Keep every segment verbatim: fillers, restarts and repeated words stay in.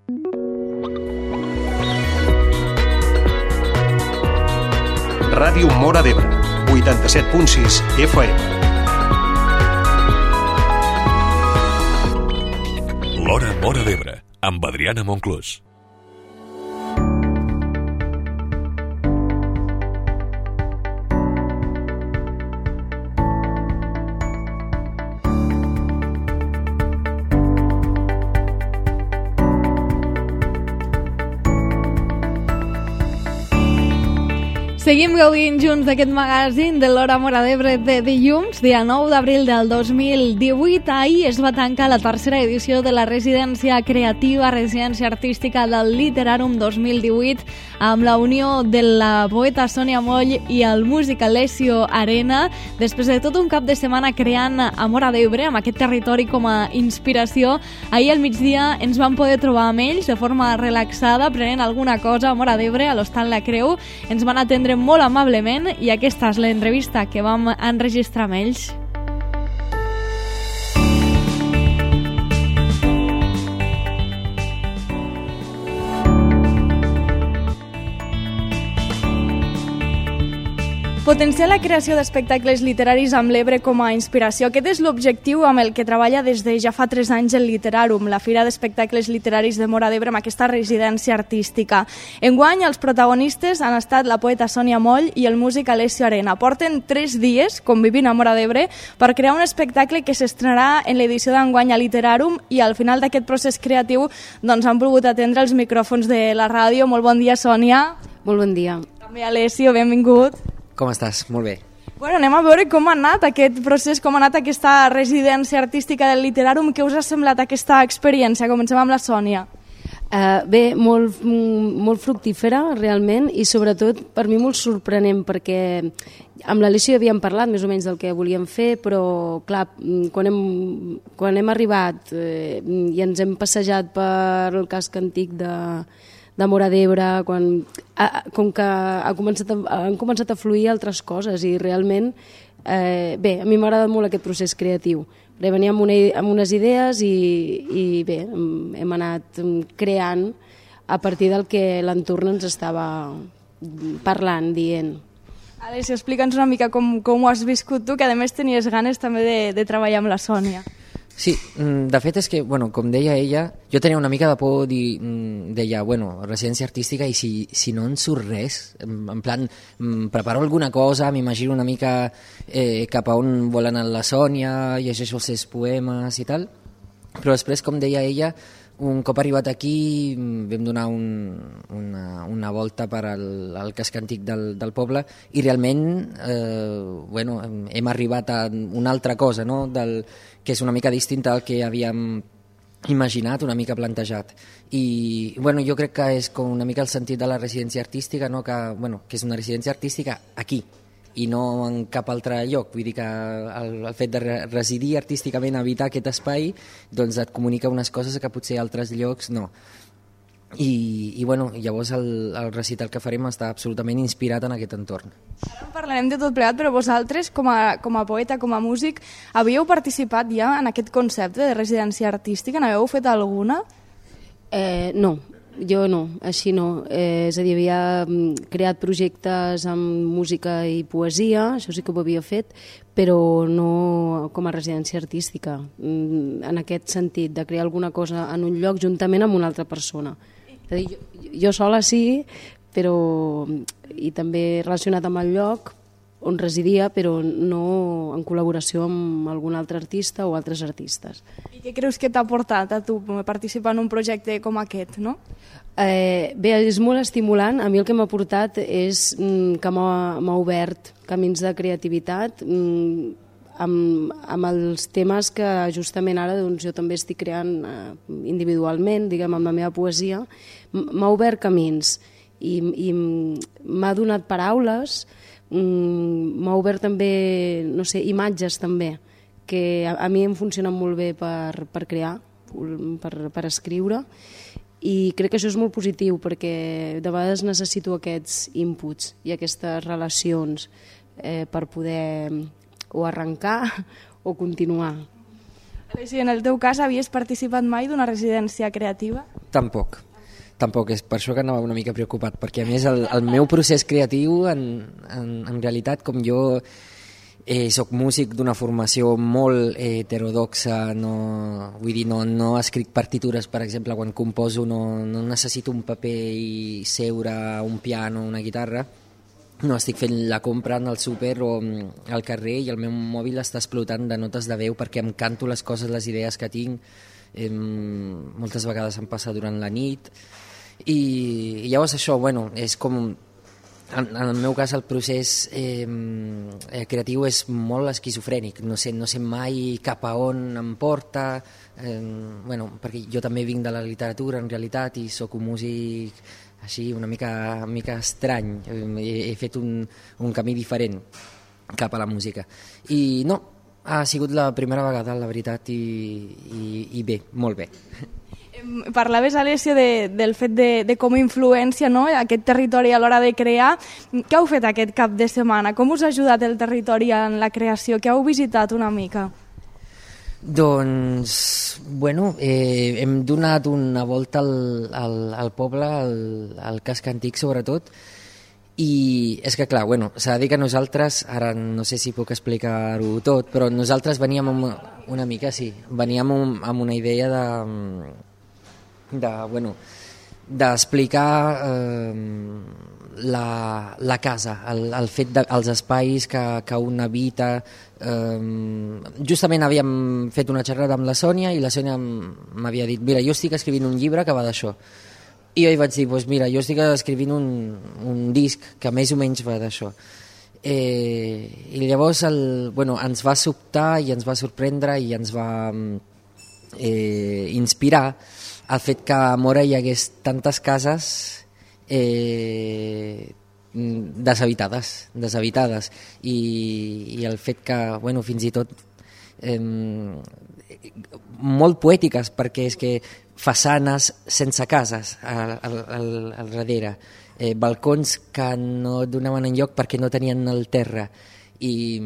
Ràdio Móra d'Ebre, vuitanta-set punt sis F M. L'Hora Móra d'Ebre, amb Adriana Monclús. Seguim gaudint junts d'aquest magazín de l'Hora Móra d'Ebre de dilluns, dia nou d'abril del dos mil divuit. Ahir es va tancar la tercera edició de la residència creativa, residència artística del Literàrum dos mil divuit, amb la unió de la poeta Sònia Moll i el músic Alessio Arena. Després de tot un cap de setmana creant a Móra d'Ebre, amb aquest territori com a inspiració, ahir al migdia ens vam poder trobar amb ells de forma relaxada, prenent alguna cosa a Móra d'Ebre, a l'Hostal La Creu. Ens van atendre molt amablement i aquesta és l'entrevista que vam enregistrar amb ells. Potenciar la creació d'espectacles literaris amb l'Ebre com a inspiració. Aquest és l'objectiu amb el que treballa des de ja fa tres anys el Literàrum, la fira d'espectacles literaris de Móra d'Ebre amb aquesta residència artística. Enguany, els protagonistes han estat la poeta Sònia Moll i el músic Alessio Arena. Porten tres dies convivint a Móra d'Ebre per crear un espectacle que s'estrenarà en l'edició d'enguany a Literàrum i al final d'aquest procés creatiu doncs, han volgut atendre els micròfons de la ràdio. Molt bon dia, Sònia. Molt bon dia. També Alessio, benvingut. Com estàs? Molt bé. Bueno, anem a veure com ha anat aquest procés, com ha anat aquesta residència artística del Literàrum. Què us ha semblat aquesta experiència? Comencem amb la Sònia. Uh, bé, molt, molt fructífera, realment, i sobretot per mi molt sorprenent, perquè amb l'Alessio havíem parlat més o menys del que volíem fer, però clar, quan hem, quan hem arribat eh, i ens hem passejat per el casc antic de... de Móra d'Ebre, quan, a, com que ha començat a, han començat a fluir altres coses i realment, eh, bé, a mi m'ha agradat molt aquest procés creatiu. Venia amb, una, amb unes idees i, i bé, hem anat creant a partir del que l'entorn ens estava parlant, dient. Alessio, explica'ns una mica com, com ho has viscut tu, que a més tenies ganes també de, de treballar amb la Sònia. Sí, de fet és que, bueno, com deia ella, jo tenia una mica de por, dir, deia, bueno, residència artística i si, si no en surt res, en plan, preparo alguna cosa, m'imagino una mica eh, cap a on vol anar la Sònia, llegeixo els seus poemes i tal, però després, com deia ella, un cop arribat aquí vam donar un, una, una volta per al, al casc antic del, del poble i realment eh, bueno, hem arribat a una altra cosa, no? Del, que és una mica distinta al que havíem imaginat, una mica plantejat. I bueno, jo crec que és com una mica el sentit de la residència artística, no? que, bueno, que és una residència artística aquí, i no en cap altre lloc. Vull dir que el, el fet de residir artísticament, habitar aquest espai, doncs et comunica unes coses que potser altres llocs no. I, i bueno, llavors el, el recital que farem està absolutament inspirat en aquest entorn. Ara en parlarem de tot plegat, però vosaltres, com a, com a poeta, com a músic, havíeu participat ja en aquest concepte de residència artística? N'haveu fet alguna? Eh, no. Jo no, així no. Eh, és a dir, havia creat projectes amb música i poesia, això sí que ho havia fet, però no com a residència artística, en aquest sentit, de crear alguna cosa en un lloc juntament amb una altra persona. És a dir, jo, jo sola sí, però i també relacionat amb el lloc on residia, però no en col·laboració amb algun altre artista o altres artistes. I què creus que t'ha portat a tu participar en un projecte com aquest, no? Eh, bé, és molt estimulant. A mi el que m'ha portat és mm, que m'ha obert camins de creativitat mm, amb, amb els temes que justament ara doncs, jo també estic creant eh, individualment, diguem, amb la meva poesia. M'ha obert camins i, i m'ha donat paraules, m'ha obert també, no sé, imatges també, que a, a mi em funcionen molt bé per, per crear, per, per escriure, i crec que això és molt positiu perquè de vegades necessito aquests inputs i aquestes relacions eh, per poder o arrencar o continuar. Si en el teu cas havies participat mai d'una residència creativa? Tampoc. Tampoc, és per això que anava una mica preocupat, perquè a més el, el meu procés creatiu, en, en, en realitat, com jo eh, soc músic d'una formació molt eh, heterodoxa, no, vull dir, no, no escric partitures, per exemple, quan composo no, no necessito un paper i seure, un piano, una guitarra, no, estic fent la compra en el súper o al carrer i el meu mòbil està explotant de notes de veu perquè em canto les coses, les idees que tinc, eh, moltes vegades em passa durant la nit, i, i llavors això, bueno, és com, en, en el meu cas el procés eh, creatiu és molt esquizofrènic, no sé, no sé mai cap a on em porta, eh, bueno, perquè jo també vinc de la literatura en realitat i sóc un músic així una mica, una mica estrany, he, he fet un, un camí diferent cap a la música. I no, ha sigut la primera vegada, la veritat, i, i, i bé, molt bé. Parlaves, Alessio, de, del fet de, de com influència, no?, aquest territori a l'hora de crear. Què heu fet aquest cap de setmana? Com us ha ajudat el territori en la creació? Què heu visitat una mica? Doncs, bueno, eh, hem donat una volta al, al, al poble, al, al casc antic sobretot, i és que clar, bueno, s'ha de dir que nosaltres, ara no sé si puc explicar-ho tot, però nosaltres veníem amb una mica, sí, veníem amb, amb una idea de, de bueno, d'explicar eh, la, la casa, el, el fet dels espais que, que un habita. Um, justament havíem fet una xerrada amb la Sònia i la Sònia m'havia dit, mira, jo estic escrivint un llibre que va d'això, i jo hi vaig dir, pues mira, jo estic escrivint un, un disc que més o menys va d'això, eh, i llavors el, bueno, ens va sobtar i ens va sorprendre i ens va eh, inspirar el fet que a Móra hi hagués tantes cases eh, deshabitades, deshabitades i, i el fet que, bueno, fins i tot eh, molt poètiques, perquè és que façanes sense cases al, al, al darrere, eh, balcons que no donaven enlloc perquè no tenien el terra, i,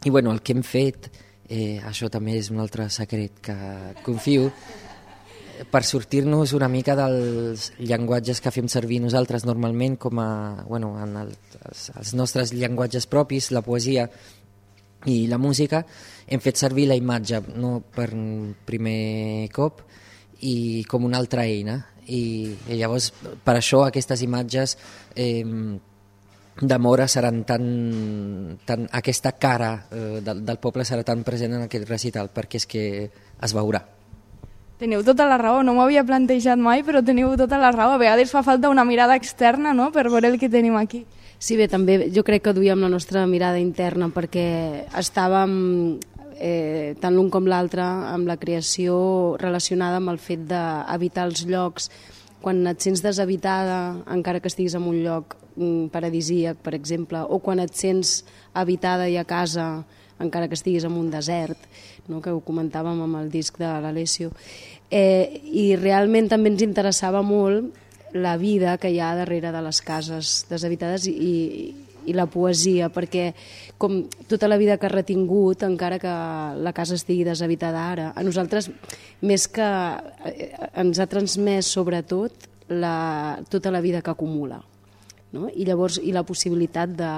i bueno, el que hem fet, eh, això també és un altre secret que confio, per sortir-nos una mica dels llenguatges que fem servir nosaltres normalment com a, bueno, en el, els, els nostres llenguatges propis, la poesia i la música, hem fet servir la imatge, no per primer cop, i com una altra eina, i, i llavors per això aquestes imatges eh, de Móra seran tan, tan aquesta cara eh, del, del poble serà tan present en aquest recital, perquè és que es veurà. Teniu tota la raó, no m'ho havia plantejat mai, però teniu tota la raó. A vegades fa falta una mirada externa, no?, per veure el que tenim aquí. Sí, bé, també jo crec que duíem la nostra mirada interna perquè estàvem, eh, tant l'un com l'altre, amb la creació relacionada amb el fet d'habitar els llocs. Quan et sents deshabitada, encara que estiguis en un lloc paradisíac, per exemple, o quan et sents habitada i a casa, encara que estiguis en un desert, no?, que ho comentàvem amb el disc de l'Alessio, eh, i realment també ens interessava molt la vida que hi ha darrere de les cases deshabitades i, i la poesia, perquè com tota la vida que ha retingut, encara que la casa estigui deshabitada ara, a nosaltres més que ens ha transmès sobretot la, tota la vida que acumula. No? I llavors i la possibilitat de,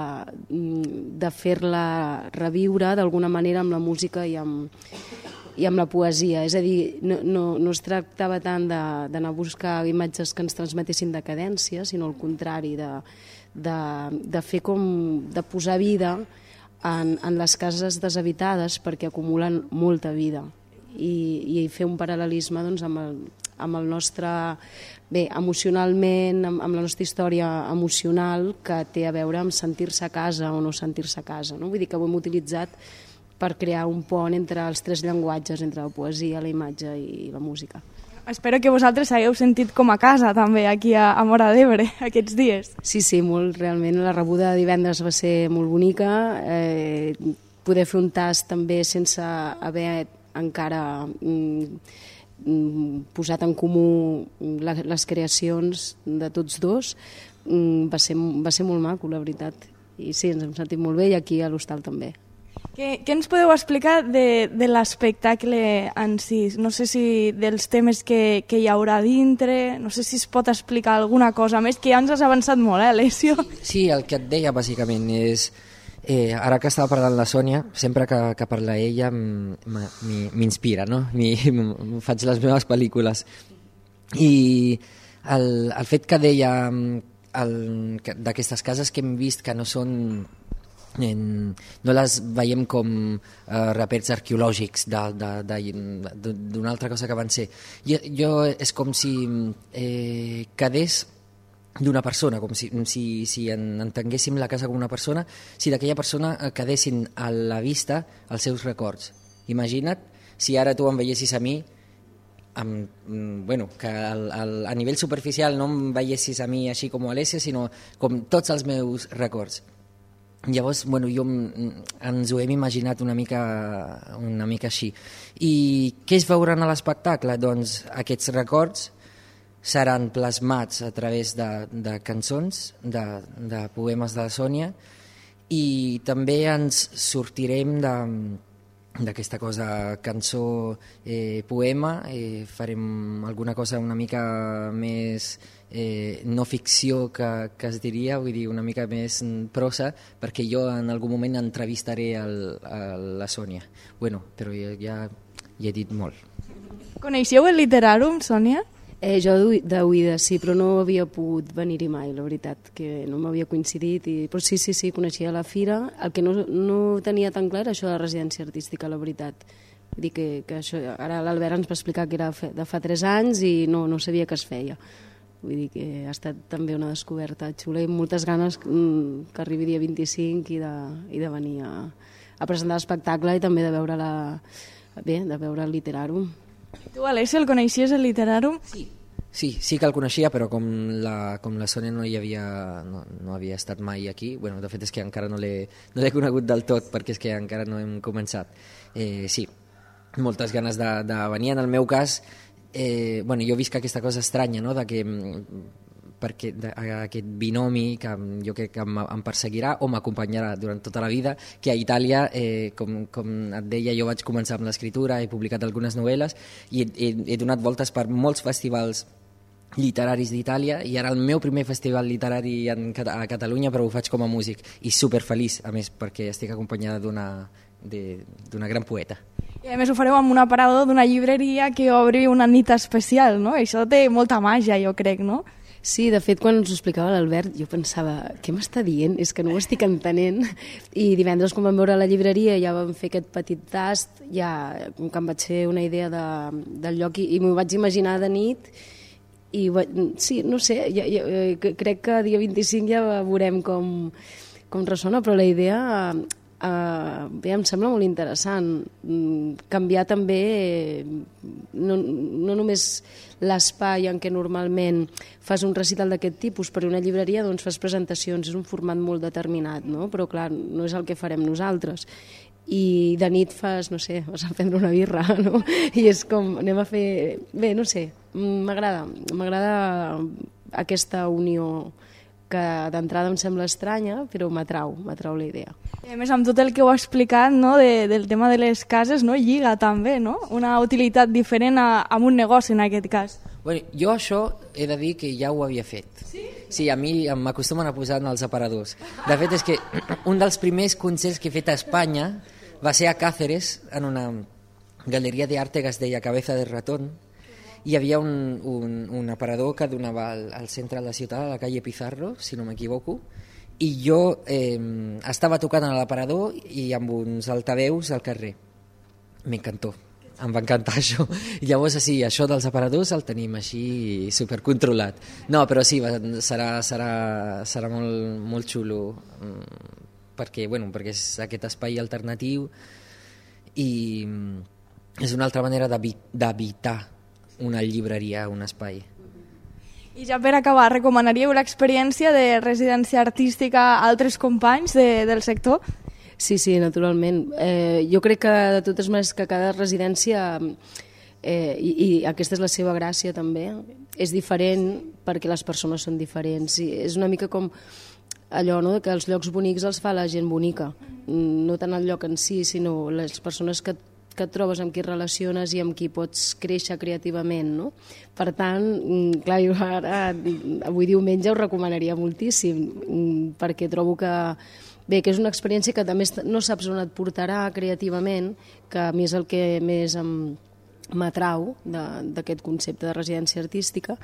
de fer-la reviure d'alguna manera amb la música i amb, i amb la poesia. És a dir, no, no, no es tractava tant d'anar a buscar imatges que ens transmetessin decadència, sinó al contrari, de, de, de fer com, de posar vida en, en les cases deshabitades perquè acumulen molta vida i, i fer un paral·lelisme doncs, amb el amb el nostre, bé, emocionalment, amb, amb la nostra història emocional que té a veure amb sentir-se a casa o no sentir-se a casa. No? Vull dir que ho hem utilitzat per crear un pont entre els tres llenguatges, entre la poesia, la imatge i la música. Espero que vosaltres hagueu sentit com a casa també aquí a, a Móra d'Ebre aquests dies. Sí, sí, molt, realment la rebuda de divendres va ser molt bonica, eh, poder fer un tast també sense haver encara mm, posat en comú les creacions de tots dos, va ser, va ser molt maco, la veritat. I sí, ens hem sentit molt bé i aquí a l'hostal també. Què, què ens podeu explicar de, de l'espectacle en si? No sé si dels temes que, que hi haurà dintre, no sé si es pot explicar alguna cosa més, que ja ens has avançat molt, eh, Alessio? Sí, el que et deia bàsicament és... Eh, ara que estava parlant la Sònia, sempre que, que parla ella m'inspira, no? Mi, faig les meves pel·lícules. I el, el fet que deia d'aquestes cases que hem vist que no són... En, no les veiem com eh, rapers arqueològics d'una altra cosa que van ser. Jo, jo és com si eh, quedés d'una persona, com si, si, si entenguéssim la casa com una persona, si d'aquella persona quedessin a la vista els seus records. Imagina't si ara tu em veiessis a mi, amb, bueno, que el, el, a nivell superficial no em veiessis a mi així com a Alessia, sinó com tots els meus records. Llavors, bueno, jo ens ho hem imaginat una mica, una mica així. I què es veuran a l'espectacle? Doncs aquests records seran plasmats a través de, de cançons, de, de poemes de la Sònia, i també ens sortirem de d'aquesta cosa cançó, eh, poema, eh, farem alguna cosa una mica més eh, no ficció que, que es diria, vull dir una mica més prosa, perquè jo en algun moment entrevistaré el, el, la Sònia. Bueno, però ja, ja, ja he dit molt. Coneixeu el Literàrum, Sònia? Eh, jo d'oïda sí, però no havia pogut venir-hi mai, la veritat, que no m'havia coincidit, i... però sí, sí, sí, coneixia la fira. El que no, no tenia tan clar era això de la residència artística, la veritat. Vull dir que, que això, ara l'Albert ens va explicar que era de fa tres anys i no, no sabia que es feia. Vull dir que ha estat també una descoberta xula i moltes ganes que arribi dia vint-i-cinc i de, i de venir a, a presentar l'espectacle i també de veure, la, bé, de veure el Literàrum. Tu, Alessia, el coneixies, el Literàrum? Sí, sí, sí que el coneixia, però com la, com la Sònia no hi havia, no, no havia estat mai aquí, bueno, de fet és que encara no l'he no l'he conegut del tot, perquè és que encara no hem començat. Eh, sí, moltes ganes de, de venir. En el meu cas, eh, bueno, jo visc aquesta cosa estranya, no?, de que perquè de, aquest binomi que jo crec que em, em perseguirà o m'acompanyarà durant tota la vida, que a Itàlia, eh, com, com et deia, jo vaig començar amb l'escriptura, he publicat algunes novel·les i he, he, he donat voltes per molts festivals literaris d'Itàlia i ara el meu primer festival literari en, a Catalunya, però ho faig com a músic i superfeliç, a més, perquè estic acompanyada d'una d'una gran poeta. I a més ho fareu amb un aparador d'una llibreria que obri una nit especial, no? Això té molta màgia, jo crec, no? Sí, de fet, quan ens ho explicava l'Albert, jo pensava, què m'està dient? És que no ho estic entenent. I divendres, quan vam veure la llibreria, ja vam fer aquest petit tast, ja com que em vaig fer una idea de, del lloc i, i m'ho vaig imaginar de nit. I sí, no sé, ja, ja, crec que dia vint-i-cinc ja veurem com, com ressona, però la idea... Uh, bé, em sembla molt interessant canviar també no, no només l'espai en què normalment fas un recital d'aquest tipus, per una llibreria doncs fas presentacions, és un format molt determinat, no? Però clar, no és el que farem nosaltres i de nit fas, no sé, vas a prendre una birra, no? I és com, anem a fer... Bé, no sé, m'agrada, m'agrada aquesta unió que d'entrada em sembla estranya, però m'atrau, m'atrau la idea. I a més, amb tot el que heu explicat, no, de, del tema de les cases, no, lliga també, no? Una utilitat diferent a, a un negoci, en aquest cas. Bueno, jo això he de dir que ja ho havia fet. Sí? Sí, a mi m'acostumen a posar en els aparadors. De fet, és que un dels primers concerts que he fet a Espanya va ser a Cáceres, en una galeria d'arte que es deia Cabeza de Ratón. Hi havia un, un, un aparador que donava al, al centre de la ciutat, a la calle Pizarro, si no m'equivoco, i jo eh, estava tocant a l'aparador i amb uns altaveus al carrer. M'encantó, em va encantar això. I llavors, sí, això dels aparadors el tenim així supercontrolat. No, però sí, va, serà, serà, serà molt, molt xulo, perquè, bueno, perquè és aquest espai alternatiu i és una altra manera d'habitar una llibreria, un espai. I ja per acabar, recomanaríeu l'experiència de residència artística a altres companys de, del sector? Sí, sí, naturalment. Eh, jo crec que de totes maneres que cada residència, eh, i, i aquesta és la seva gràcia també, és diferent perquè les persones són diferents. I és una mica com allò, no?, que els llocs bonics els fa la gent bonica, no tant el lloc en si, sinó les persones que, que et trobes, amb qui relaciones i amb qui pots créixer creativament, no? Per tant, clar, jo ara, avui diumenge ho recomanaria moltíssim, perquè trobo que, bé, que és una experiència que també no saps on et portarà creativament, que a mi és el que més em m'atrau d'aquest concepte de residència artística,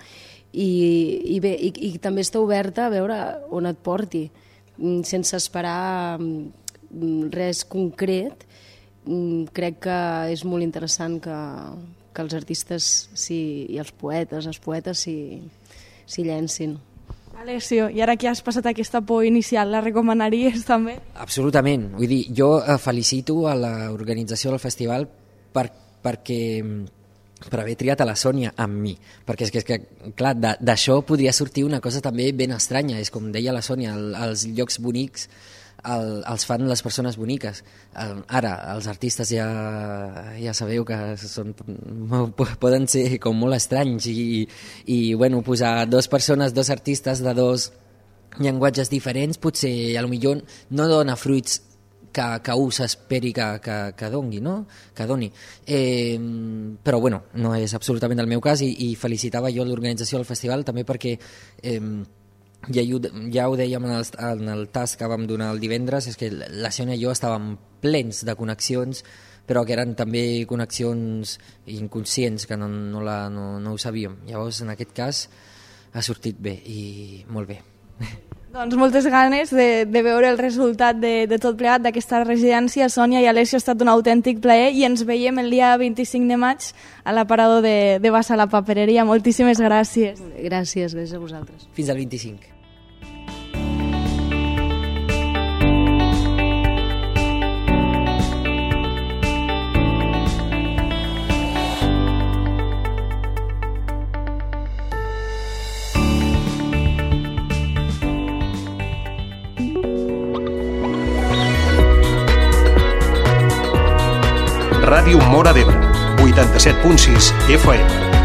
i, i bé, i, i també està oberta a veure on et porti, sense esperar res concret. Crec que és molt interessant que, que els artistes si, i els poetes, els poetes s'hi si llencin. Alessio, i ara que has passat aquesta por inicial, la recomanaries també? Absolutament. Vull dir, jo felicito a l'organització del festival per perquè per haver triat a la Sònia amb mi, perquè és que, és que clar, d'això podria sortir una cosa també ben estranya, és com deia la Sònia, el, els llocs bonics el, els fan les persones boniques. Ara, els artistes ja, ja sabeu que són, poden ser com molt estranys i, i bueno, posar dues persones, dos artistes de dos llenguatges diferents, potser a lo millor no dona fruits que, que un s'esperi que, que, que doni, no? Que doni. Eh, però bueno, no és absolutament el meu cas i, i felicitava jo l'organització del festival també perquè eh, ja, ja ho dèiem en el, en el tas que vam donar el divendres, és que la Sònia i jo estàvem plens de connexions, però que eren també connexions inconscients, que no, no, la, no, no ho sabíem. Llavors, en aquest cas, ha sortit bé i molt bé. Doncs moltes ganes de, de veure el resultat de, de tot plegat d'aquesta residència. Sònia i Alessio, ha estat un autèntic plaer i ens veiem el dia vint-i-cinc de maig a l'aparador de, de Bassa la Papereria. Moltíssimes gràcies. Gràcies, gràcies a vosaltres. Fins al vint-i-cinc. Ràdio Móra d'Ebre, vuitanta-set punt sis F M.